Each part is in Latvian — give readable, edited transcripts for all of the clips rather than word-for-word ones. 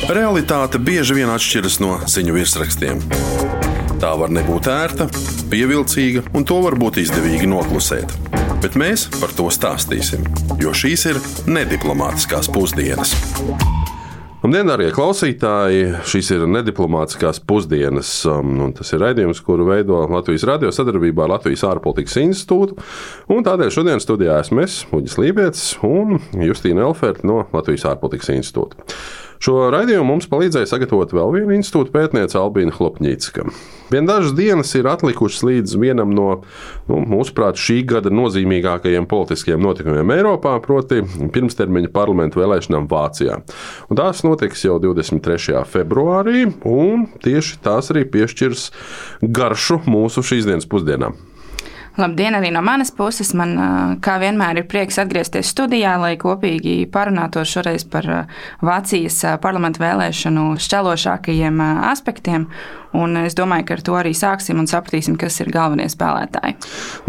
Realitāte bieži vien atšķiras no ziņu virsrakstiem. Tā var nebūt ērta, pievilcīga, un to var būt izdevīgi noklusēt. Bet mēs par to stāstīsim, jo šīs ir nediplomātiskās pusdienas. Labdien, darbie klausītāji! Šīs ir nediplomātiskās pusdienas, un tas ir raidījums, kuru veido Latvijas radio sadarbībā ar Latvijas ārpolitikas institūtu. Un tādēļ šodien studijā esmu es, Uģis Lībietis, un Justīna Elferta no Latvijas ārpolitikas institūta. Šo raidījumu mums palīdzēja sagatavot vēl viena institūta pētniece Albīna Hlopņicka. Vien dažas dienas ir atlikušas līdz vienam no, mūsuprāt, šī gada nozīmīgākajiem politiskajiem notikumiem Eiropā, proti pirmstermiņa parlamentu vēlēšanām Vācijā. Un tās notiks jau 23. februārī, un tieši tās arī piešķirs garšu mūsu šīs dienas pusdienām. Labdien arī no manas puses. Man, kā vienmēr, ir prieks atgriezties studijā, lai kopīgi parunātos šoreiz par Vācijas parlamentu vēlēšanu šķelošākajiem aspektiem. Un es domāju, ka ar to arī sāksim un sapratīsim, kas ir galvenie spēlētāji.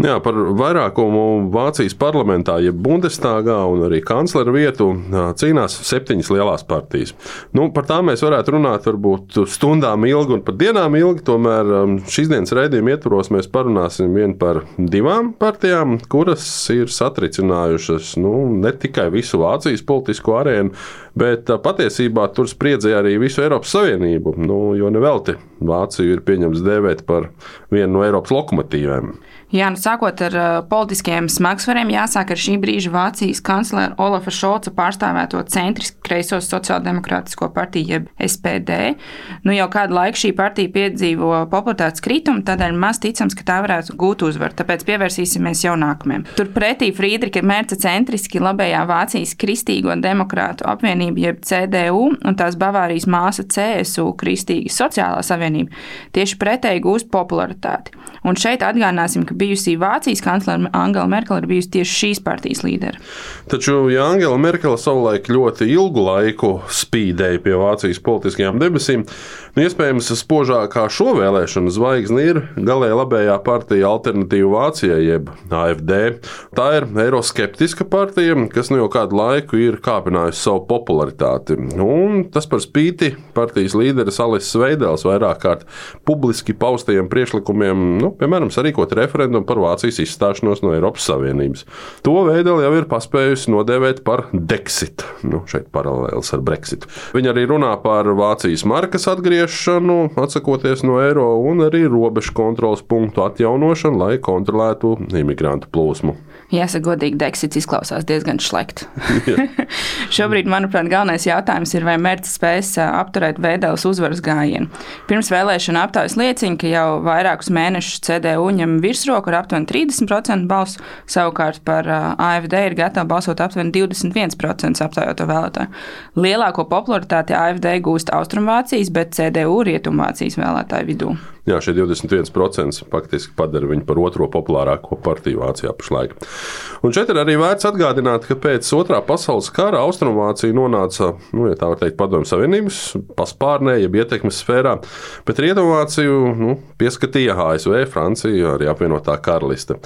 Jā, par vairākumu Vācijas parlamentā, jeb Bundestagā un arī kanclera vietu cīnās 7 lielās partijas. Par tām mēs varētu runāt varbūt stundām ilgi un pat dienām ilgi, tomēr šīs dienas raidījuma ietvaros mēs parunāsim vien par 2 partijām, kuras ir satricinājušas ne tikai visu Vācijas politisko arēnu, bet patiesībā tur spriedzē arī visu Eiropas Savienību, jo nevelti Vāciju ir pieņemts dēvēt par vienu no Eiropas lokomotīvēm. Jā, sākot ar politiskiem smagsvariem, jāsāk ar šī brīža Vācijas kanclera Olafa Šolca pārstāvēto centriski kreiso sociāldemokrātisko partiju, jeb SPD. Jau kādu laiku šī partija piedzīvo popularitātes kritumu, tādēļ maz ticams, ka tā varētu gūt uzvaru, tāpēc pievērsīsimies jau nākamajam. Turpretī Friedricha Merca centriski labējā Vācijas Kristīgo demokrātu apvienība, jeb CDU, un tās Bavārijas māsa CSU, Kristīga sociālā savienība, tieši pretēji gūst popularitāti. Un šeit atgādināsim, ka bijusī Vācijas kanclere Angela Merkele ir bijusi tieši šīs partijas līdere. Taču, ja Angela Merkele savulaik ļoti ilgu laiku spīdēja pie Vācijas politiskajām debesīm, iespējams spožākā šo vēlēšanu zvaigzni ir galēji labējā partija Alternatīva Vācijai, jeb AfD. Tā ir eiroskeptiska partija, kas jau kādu laiku ir kāpinājusi savu popularitāti. Un tas par spīti partijas līderes Alises Veidels vairāk kārt publiski paustajiem priekšlikumiem, piemēram, sarīkot referendumu par Vācijas izstāšanos no Eiropas Savienības. To Veidela jau ir paspējusi nodēvēt par Dexit. Šeit paralēlis ar Brexitu. Viņa arī runā par Vācijas markas atgriešanu, atsakoties no eiro, un arī robežu kontroles punktu atjaunošanu, lai kontrolētu imigrantu plūsmu. Jāsaka godīgi, Dexits izklausās diezgan šlekt. Šobrīd, manuprāt, galvenais jautājums ir, vai Merca spēs apturēt Veidelas uzvaras gājienu. Pirms vēlēšana aptaujas liecina, ka jau vairākus mēnešus CDU ņem virsroku ar aptuveni 30% balsu, savukārt par AfD ir gatava balsot aptuveni 21% aptaujoto vēlētāju. Lielāko popularitāti AfD gūst Austrumvācijas, bet CDU Rietumvācijas vēlētāju vidū. Jā, šie 21% faktiski padara viņu par otro populārāko partiju Vācijā pašlaik. Un šeit ir arī vērts atgādināt, ka pēc Otrā pasaules kara Austrumvācija nonāca, ja tā var teikt, Padomju Savienības paspārnē, jeb ietekmes sfērā, bet Rietumvāciju pieskatīja ASV, Francija, arī apvienotā karaliste.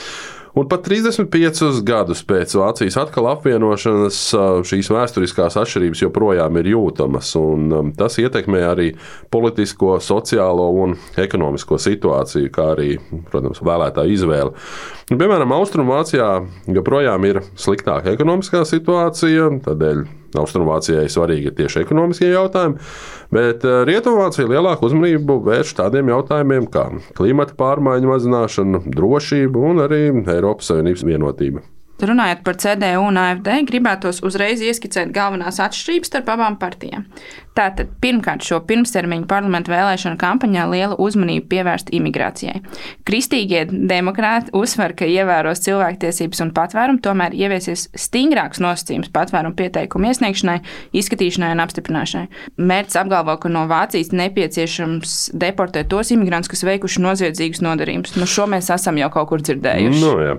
Un pat 35 gadus pēc Vācijas atkal apvienošanas šīs vēsturiskās atšķirības joprojām ir jūtamas, un tas ietekmē arī politisko, sociālo un ekonomisko situāciju, kā arī, protams, vēlētāju izvēli. Piemēram, Austrumvācijā joprojām ir sliktāka ekonomiskā situācija, tādēļ Austrumvācijai svarīgi ir tieši ekonomiskie jautājumi, bet Rietumvācija lielāku uzmanību vērš tādiem jautājumiem kā klimata pārmaiņu mazināšana, drošība un arī Eiropas Savienības vienotība. Runājot par CDU un AfD, gribētos uzreiz ieskicēt galvenās atšķirības starp abām partijām. Tātad, pirmkārt, šo pirmstermiņu parlamentu vēlēšanu kampaņā liela uzmanība pievērsta imigrācijai. Kristīgie demokrāti uzsver, ka ievēros cilvēktiesības un patvērumu, tomēr ieviesies stingrāks nosacījums patvērumu pieteikumu iesniegšanai, izskatīšanai un apstiprināšanai. Merca apgalvo, ka no Vācijas nepieciešams deportēt tos imigrantus, kas veikuši noziedzīgus nodarījumus. Šo mēs esam jau kaut kur dzirdējuši. Jā.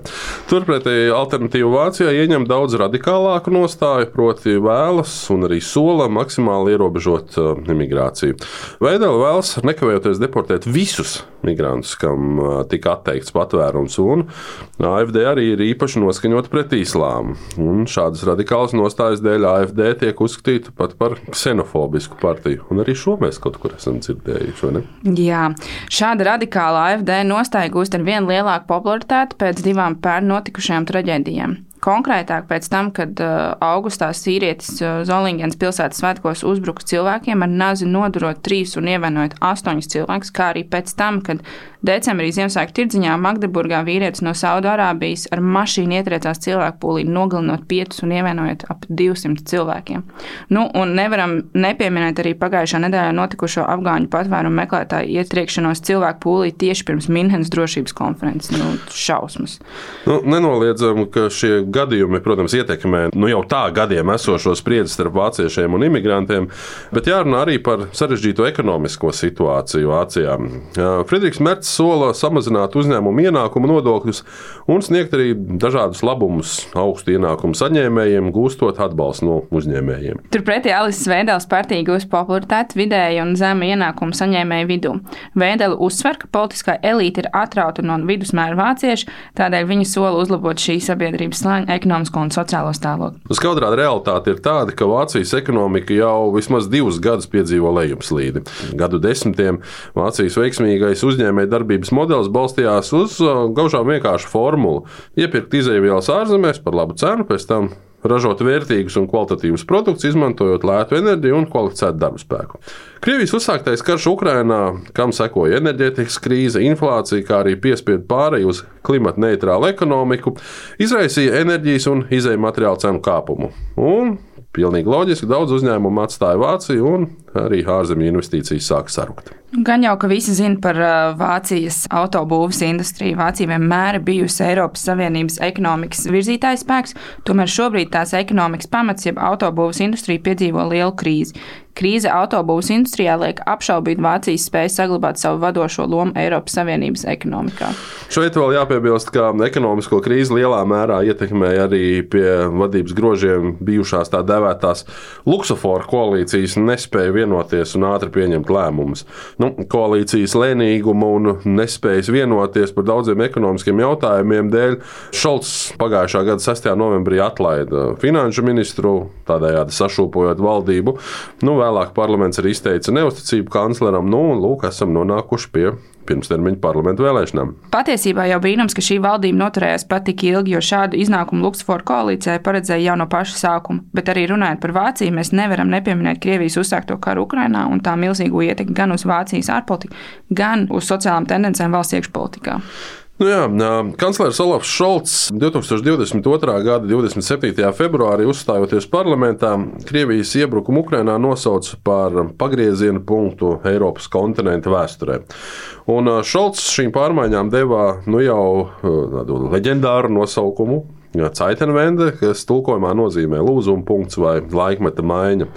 Turpretī Alternatīva Alternatīva Vācijā ieņem daudz radikālāku nostāju, proti vēlas un arī sola maksimāli ierobežot imigrāciju. Veidela vēlas nekavējoties deportēt visus migrantus, kam tika atteikts patvērums, un AfD arī ir īpaši noskaņota pret islāmu. Un šādas radikālas nostājas dēļ AfD tiek uzskatīta pat par ksenofobisku partiju, un arī šo mēs kaut kur esam dzirdējuši, vai ne? Jā, šāda radikāla AfD nostāja gūst ar vien lielāku popularitāti pēc 2 pērn notikušajām traģēdijām. Konkrētāk pēc tam, kad augustā sīrietis Zolingens pilsētas svētkos uzbruka cilvēkiem ar nazi nodurot 3 un ievainojot 8 cilvēkus, kā arī pēc tam, kad decembrī Ziemassvētku tirdziņā Magdeburgā vīrietis no Saudārābijas ar mašīnu ietriecās cilvēku pūlī, nogalinot 5 un ievainojot ap 200 cilvēkiem. Un nevaram nepieminēt arī pagājušā nedēļā notikušo afgāņu patvērumu meklētāju ietriekšanos cilvēku pūlī tieši pirms Minhenes drošības konferences. Šausmas. Nenoliedzam, ka šie gadījumi, protams, ietekmē jau tā gadiem esošo spriedzi starp vāciešiem un imigrantiem, bet jārunā arī par sarežģīto ekonomisko situāciju Vācijā. Friedrichs Merts sola samazināt uzņēmumu ienākumu nodokļus un sniegt arī dažādus labumus augstu ienākumu saņēmējiem, gūstot atbalstu no uzņēmējiem. Turpretī Alises Vēdeles partija gūst popularitāti vidēja un zema ienākumu saņēmēju vidū. Vēdele uzsver, ka politiskā elīte ir atrauta no vidusmēra vāciešu, tādēļ viņa sola uzlabot šī sabiedrības slāņa ekonomisko un sociālo stāvokli. Skaudrā realitāte ir tāda, ka Vācijas ekonomika jau vismaz 2 gadus piedzīvo lejupslīdi. Gadu desmitiem Vācijas veiksmīgais uzņēmēja darbības modelis balstījās uz gaužām vienkāršu formulu – iepirkt izejvielas ārzemēs par labu cenu, pēc tam ražot vērtīgus un kvalitatīvus produktus, izmantojot lētu enerģiju un kvalificētu darba spēku. Krievijas uzsāktais karš Ukrainā, kam sekoja enerģētikas krīze, inflācija, kā arī piespiedu pāreju uz klimata neitrālu ekonomiku, izraisīja enerģijas un izejju materiālu cenu kāpumu. Un pilnīgi loģiski daudz uzņēmumu atstāja Vāciju un arī ārzemju investīcijas sāka sarukt. Gan jau, ka visi zina par Vācijas autobūves industriju. Vācija vienmēr ir bijusi Eiropas Savienības ekonomikas virzītājs spēks, tomēr šobrīd tās ekonomikas pamats, jeb autobūves industrija piedzīvo lielu krīzi. Krīze autobūves industrijā liek apšaubīt Vācijas spēju saglabāt savu vadošo lomu Eiropas Savienības ekonomikā. Šeit vēl jāpiebilst, ka ekonomisko krīzi lielā mērā ietekmēja arī pie vadības grožiem bijušās tā dēvētās luksuforu koalīcijas nespēja vienoties un ātri pieņemt lēmumus. Koalīcijas lēnīguma un nespējas vienoties par daudziem ekonomiskiem jautājumiem dēļ Šolts pagājušā gada 6. novembrī atlaida finanšu ministru, tādējādi sašūpojot valdību. Vēlāk parlaments arī izteica neusticību kancleram, lūk, esam nonākuši pie pirmstermiņa parlamentu vēlēšanām. Patiesībā jau brīnums, ka šī valdība noturējās pat tik ilgi, jo šādu iznākumu luksuforu koalīcijai paredzēja jau no paša sākuma. Bet arī runājot par Vāciju, mēs nevaram nepieminēt Krievijas uzsākto karu Ukrainā un tā milzīgo ietekmi gan uz Vācijas ārpolitiku, gan uz sociālām tendencēm valsts iekšpolitikā. Kanclers Olafs Šolts 2022. gada 27. februārī uzstājoties parlamentā, Krievijas iebrukumu Ukrainā nosauca par pagrieziena punktu Eiropas kontinenta vēsturē. Un Šolts šīm pārmaiņām devā jau tādu leģendāru nosaukumu Zeitenwende, kas tulkojumā nozīmē lūzuma punkts vai laikmeta maiņa.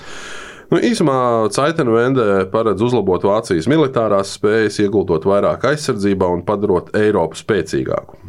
Īsumā Zeitenwende paredz uzlabot Vācijas militārās spējas, ieguldot vairāk aizsardzībā un padarot Eiropu spēcīgāku.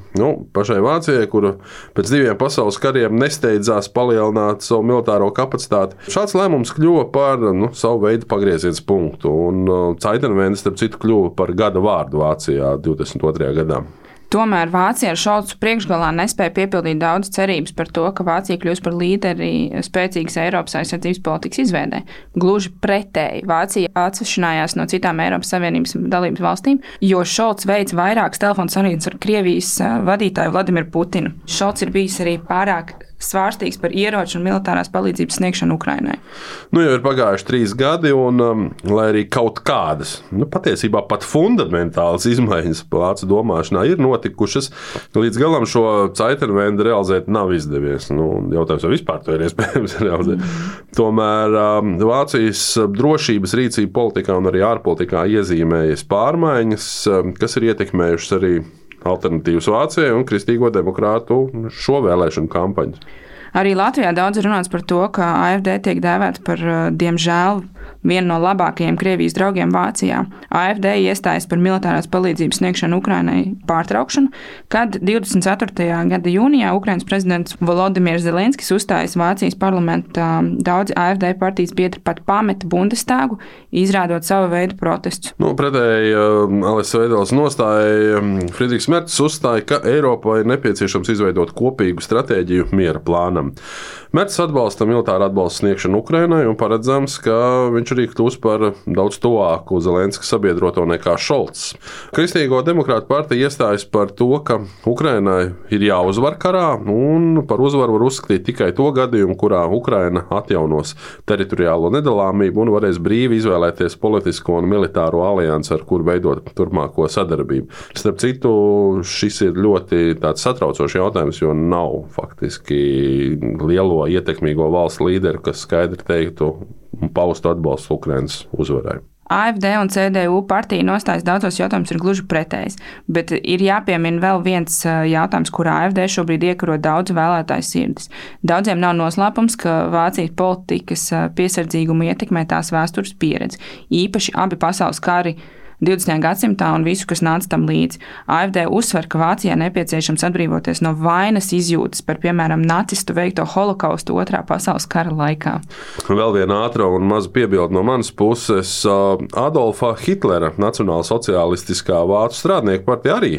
Pašai Vācijai, kura pēc 2 pasaules kariem nesteidzās palielināt savu militāro kapacitāti, šāds lēmums kļuva par savu veidu pagrieziens punktu, un Zeitenwende, starp citu, kļuva par gada vārdu Vācijā 22. gadā. Tomēr Vācija ar Šolcu priekšgalā nespēja piepildīt daudz cerības par to, ka Vācija kļūs par līderi spēcīgas Eiropas aizsardzības politikas izveidē. Gluži pretēji, Vācija atsvešinājās no citām Eiropas Savienības dalības valstīm, jo Šolcs veids vairākas telefonu sarunas ar Krievijas vadītāju Vladimiru Putinu. Šolcs ir bijis arī pārāk svārstīgs par ieroču un militārās palīdzības sniegšanu Ukrainai. Jau ir pagājuši 3 gadi, un lai arī kaut kādas, patiesībā pat fundamentālas izmaiņas vācu domāšanā ir notikušas, līdz galam šo Zeitenwende realizēt nav izdevies. Jautājums, vai vispār to ir iespējams realizēt. Tomēr Vācijas drošības rīcība politikā un arī ārpolitikā iezīmējas pārmaiņas, kas ir ietekmējušas arī Alternatīvas Vācijai un Kristīgo demokrātu šo vēlēšanu kampaņu. Arī Latvijā daudz runāts par to, ka AfD tiek dēvēta par, diemžēl, viena no labākajiem Krievijas draugiem Vācijā. AfD iestājas par militārās palīdzības sniegšanu Ukrainai pārtraukšanu, kad 24. gada jūnijā Ukrainas prezidents Volodimirs Zelenskis uzstājas Vācijas parlamentā. Daudzi AfD partijas biedri pat pameta Bundestāgu, izrādot savu veidu protestus. Pretēji Alises Veideles nostāja, Friedrichs Mercis uzstāja, ka Eiropā ir nepieciešams izveidot kopīgu stratēģiju miera plānam. Mercis atbalsta militāru atbalstu sniegšanu Ukrainai un paredzams, ka viņš arī kļūs par daudz tuvāku Zelenska sabiedroto nekā Šolts. Kristīgo demokrātu partija iestājas par to, ka Ukrainai ir jāuzvar karā, un par uzvaru var uzskatīt tikai to gadījumu, kurā Ukraina atjaunos teritoriālo nedalāmību un varēs brīvi izvēlēties politisko un militāro aliansi, ar kuru veidot turpmāko sadarbību. Starp citu, šis ir ļoti tāds satraucošs jautājums, jo nav faktiski lielo ietekmīgo valsts līderu, kas skaidri teiktu un paustu atbalstu Ukrainas uzvarai. AfD un CDU partija nostājas daudzos jautājumus ir gluži pretējs, bet ir jāpiemina vēl viens jautājums, kurā AfD šobrīd iekaro daudzu vēlētāju sirdis. Daudziem nav noslēpums, ka Vācijas politikas piesardzīgumu ietekmē tās vēstures pieredze, īpaši abi pasaules kari 20. gadsimtā un visu, kas nāca tam līdzi. AfD uzsver, ka Vācijā nepieciešams atbrīvoties no vainas izjūtas par, piemēram, nacistu veikto holokaustu Otrā pasaules kara laikā. Vēl viena ātra un maza piebilde no manas puses. Adolfa Hitlera nacionālsocialistiskā vācu strādnieku partija arī,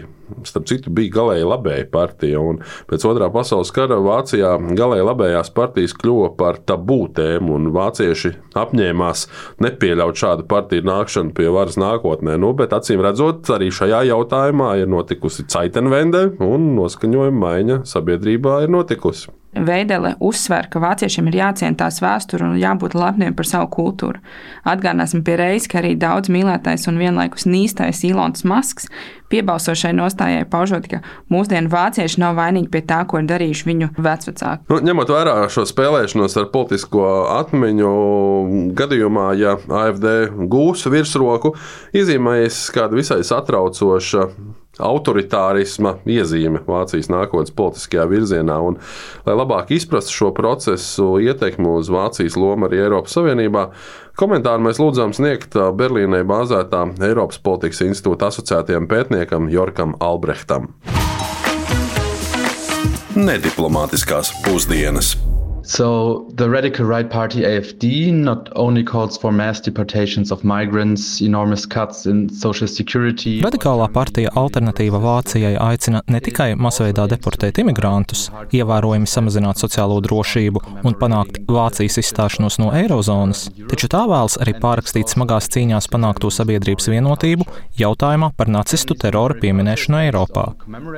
starp citu, bija galēji labēja partija, un pēc Otrā pasaules kara Vācijā galēji labējās partijas kļuva par tabū tēmu, un vācieši apņēmās nepieļaut šādu partiju nākšanu pie varas nākotnē. Bet acīm redzot, arī šajā jautājumā ir notikusi Zeitenwende, un noskaņojuma maiņa sabiedrībā ir notikusi. Veidele uzsver, ka vāciešiem ir jāciena tās vēsture un jābūt lepniem par savu kultūru. Atgādināsim pie reizes, ka arī daudz mīlētais un vienlaikus nīstais Ilons Masks piebalsošai nostājai paužot, ka mūsdienu vācieši nav vainīgi pie tā, ko ir darījuši viņu vecvecāki. Ņemot vērā šo spēlēšanos ar politisko atmiņu, gadījumā, ja AfD gūs virsroku, iezīmējas kāda visai satraucoša autoritārisma iezīme Vācijas nākotnes politiskajā virzienā. Un, lai labāk izprastu šo procesu ietekmi uz Vācijas lomu arī Eiropas Savienībā, komentāru mēs lūdzām sniegt Berlīnē bāzētā Eiropas politikas institūta asociētajam pētniekam Jorkam Albrehtam. Nediplomātiskās pusdienas. So the radical right party AfD not only calls for mass deportations of migrants, enormous cuts in social security. Radikālā partija Alternatīva Vācijai aicina ne tikai masveidā deportēt imigrantus, ievērojami samazināt sociālo drošību un panākt Vācijas izstāšanos no eirozonas, taču tā vēlas arī pārrakstīt smagās cīņās panākto sabiedrības vienotību jautājumā par nacistu terora pieminēšanu Eiropā.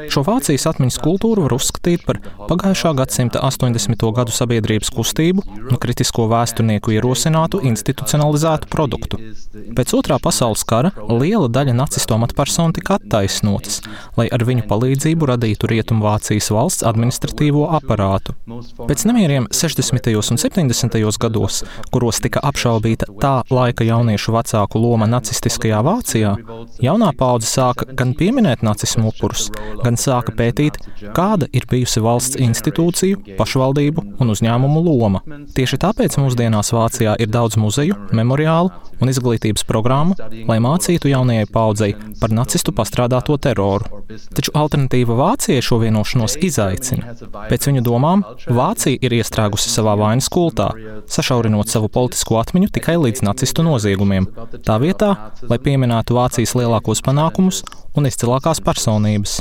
Šo Vācijas atmiņas kultūru var uzskatīt par pagājušā gadsimta 80. gadu sabiedrības kustību un kritisko vēsturnieku ierosinātu institucionalizētu produktu. Pēc Otrā pasaules kara liela daļa nacistu amatpersonu tika attaisnotas, lai ar viņu palīdzību radītu Rietumvācijas valsts administratīvo aparātu. Pēc nemieriem 60. un 70. gados, kuros tika apšaubīta tā laika jauniešu vecāku loma nacistiskajā Vācijā, jaunā paudze sāka gan pieminēt nacismu upurus, gan sāka pētīt, kāda ir bijusi valsts institūciju, pašvaldību un uzņēmumu loma. Tieši tāpēc mūsdienās Vācijā ir daudz muzeju, memoriālu un izglītības programmu, lai mācītu jaunajai paudzei par nacistu pastrādāto teroru. Taču Alternatīva Vācijai šo vienošanos izaicina. Pēc viņu domām, Vācija ir iestrēgusi savā vainas kultā, sašaurinot savu politisko atmiņu tikai līdz nacistu noziegumiem, tā vietā, lai pieminētu Vācijas lielākos panākumus un izcilākās personības.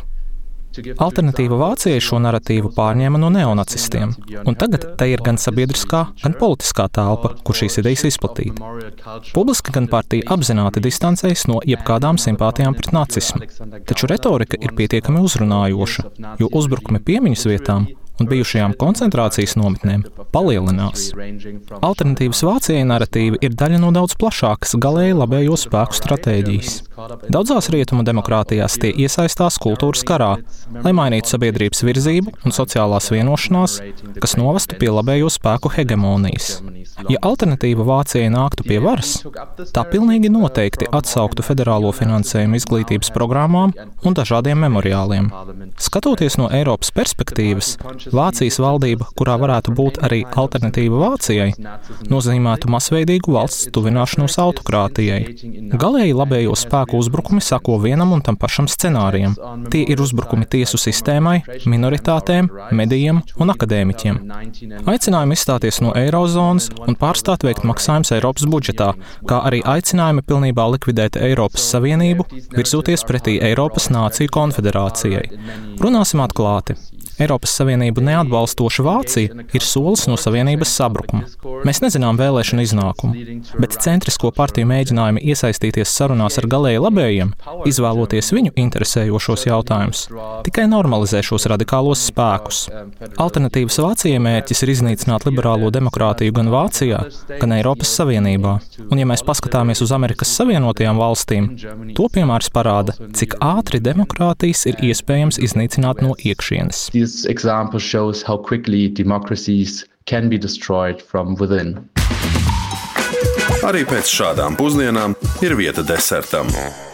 Alternatīva Vācijai šo naratīvu pārņēma no neonacistiem, un tagad te ir gan sabiedriskā, gan politiskā telpa, kur šīs idejas izplatīt. Publiski gan partija apzināti distancējas no jebkādām simpātijām pret nacismu, taču retorika ir pietiekami uzrunājoša, jo uzbrukumi piemiņas vietām un bijušajām koncentrācijas nometnēm palielinās. Alternatīvas Vācijai naratīvi ir daļa no daudz plašākas galēji labējo spēku stratēģijas. Daudzās rietumu demokrātijās tie iesaistās kultūras karā, lai mainītu sabiedrības virzību un sociālās vienošanās, kas novestu pie labējo spēku hegemonijas. Ja Alternatīva Vācijai nāktu pie varas, tā pilnīgi noteikti atsauktu federālo finansējumu izglītības programmām un dažādiem memoriāliem. Skatoties no Eiropas perspektīvas, Vācijas valdība, kurā varētu būt arī alternatīva Vācijai, nozīmētu masveidīgu valsts tuvināšanos autokrātijai. Galēji labējo spēku uzbrukumi sako vienam un tam pašam scenārijam. Tie ir uzbrukumi tiesu sistēmai, minoritātēm, medijiem un akadēmiķiem. Aicinājumi izstāties no eirozonas un pārstāt veikt maksājumus Eiropas budžetā, kā arī aicinājumi pilnībā likvidēt Eiropas Savienību, virzoties pretī Eiropas Nāciju konfederācijai. Runāsim atklāti. Eiropas Savienību neatbalstoša Vācija ir solis no Savienības sabrukuma. Mēs nezinām vēlēšanu iznākumu, bet centrisko partiju mēģinājumi iesaistīties sarunās ar galēji labējiem, izvēloties viņu interesējošos jautājumus, tikai normalizē šos radikālos spēkus. Alternatīvas Vācijai mērķis ir iznīcināt liberālo demokrātiju gan Vācijā, gan Eiropas Savienībā. Un ja mēs paskatāmies uz Amerikas Savienotajām valstīm, to piemērs parāda, cik ātri demokrātijas ir iespējams iznīcināt no iekšienes. This example shows how quickly democracies can be destroyed from within. Arī pēc šādām pusdienām ir vieta desertam.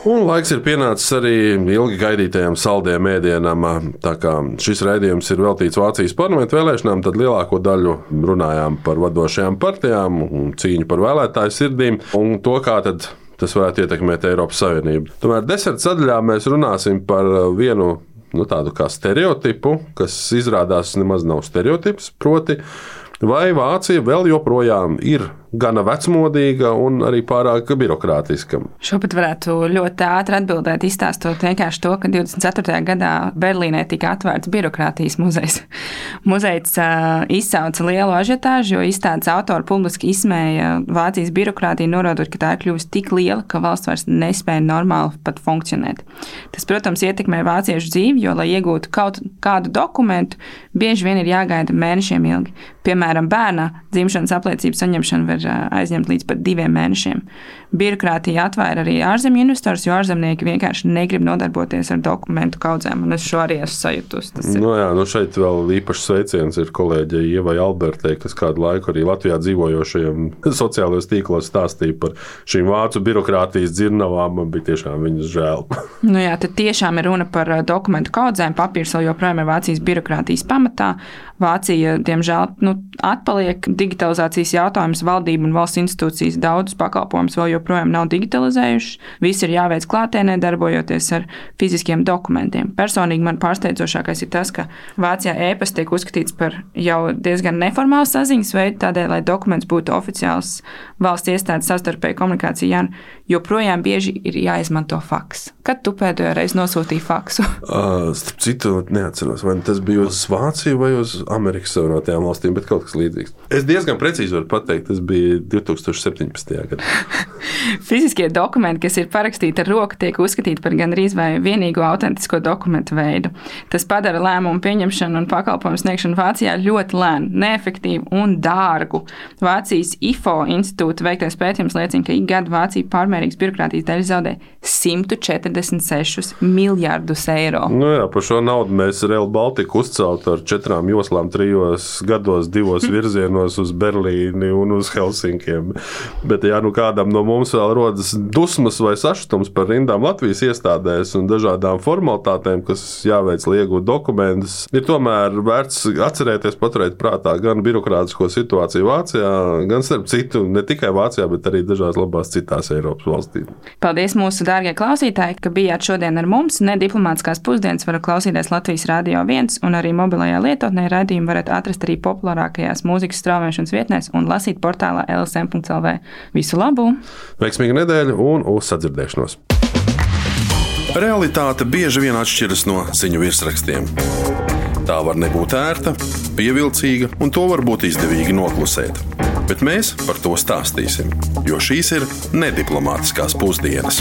Un laiks ir pienācis arī ilgi gaidītajam saldējam ēdienam. Tā kā šis raidījums ir veltīts Vācijas parlamentu vēlēšanām, tad lielāko daļu runājām par vadošajām partijām un cīņu par vēlētāju sirdīm un to, kā tad tas varētu ietekmēt Eiropas Savienību. Tomēr deserta sadaļā mēs runāsim par vienu tādu kā stereotipu, kas izrādās nemaz nav stereotips, proti, vai Vācija vēl joprojām ir gana vecmodīga un arī pārāk birokrātiska. Šo pat varētu ļoti ātri atbildēt, izstāstot vienkārši to, ka 24. gadā Berlīnē tika atvērts birokrātijas muzejs. Muzejs izsauca lielu ažiotāžu, jo izstādes autori publiski izsmēja Vācijas birokrātiju, norādot, ka tā ir kļuvusi tik liela, ka valsts vairs nespēja normāli pat funkcionēt. Tas, protams, ietekmē vāciešu dzīvi, jo, lai iegūtu kaut kādu dokumentu, bieži vien ir jāgaida mēnešiem ilgi. Piemēram, bērna dzimšanas apliecības saņemšana var aizņemt līdz pat 2 mēnešiem. Birokrātija atvēra arī ārzemju investors, jo ārzemnieki vienkārši negrib nodarboties ar dokumentu kaudzēm, un es šo arī esmu sajutusi. Šeit vēl īpašs sveiciens ir kolēģei Ievai Albertei, kas kādu laiku arī Latvijā dzīvojošajiem sociālajos tīklos stāstīja par šīm vācu birokrātijas dzirnavām, man bija tiešām viņas žēl. Tad tiešām ir runa par dokumentu kaudzēm, papīrs vēl joprojām ir Vācijas birokrātijas pamatā. Vācija, diemžēl, atpaliek digitalizācijas jautājums, valdība un valsts institūcijas daudzus pakalpojumus vēl joprojām nav digitalizējuši. Viss ir jāveic klātienē, darbojoties ar fiziskiem dokumentiem. Personīgi man pārsteidzošākais ir tas, ka Vācijā e-pasts tiek uzskatīts par jau diezgan neformālu saziņas veidu, tādēļ, lai dokuments būtu oficiāls valsts iestādes savstarpēju komunikācija, joprojām bieži ir jāizmanto faks. Kad tu pēdējo reizi nosūtīji faksu? Starp citu, neatceros, vai tas bija uz Vāciju vai uz Amerikas Savienotajām valstīm, bet kaut kas līdzīgs. Es diezgan precīzi varu pateikt, tas bija 2017. gadā. Fiziskie dokumenti, kas ir parakstīti ar roku, tiek uzskatīti par gandrīz vai vienīgo autentisko dokumentu veidu. Tas padara lēmumu pieņemšanu un pakalpojumu sniegšanu Vācijā ļoti lēnu, neefektīvu un dārgu. Vācijas IFO institūta veiktais pētījums liecina, ka ik gadu Vācija pārmērīgas birokrātijas dēļ zaudē 146 miljardus eiro. Par šo naudu mēs Rail Baltica uzceltu ar 4 joslām 3 gados, 2 virzienos uz Berlīni un uz Helsinkiem. Bet, kādam no mums vēl rodas dusmas vai sašutums par rindām Latvijas iestādēs un dažādām formalitātēm, kas jāveic, lai iegūtu dokumentus, ir tomēr vērts atcerēties, paturēt prātā gan birokrātisko situāciju Vācijā, gan starp citu, ne tikai Vācijā, bet arī dažās labās citās Eiropas valstīs. Paldies mūsu dārgie klausītāji, ka bijāt šodien ar mums. Nediplomātiskās pusdienas varat klausīties Latvijas Radio 1 un arī mobilajā lietotnē. Raidījumu varat atrast arī populārākajās mūzikas straumēšanas vietnēs un lasīt portālā lsm.lv. Visu labu! Veiksmīgu nedēļu un uz sadzirdēšanos! Realitāte bieži vien atšķiras no ziņu virsrakstiem. Tā var nebūt ērta, pievilcīga, un to var būt izdevīgi noklusēt. Bet mēs par to stāstīsim, jo šīs ir nediplomātiskās pusdienas.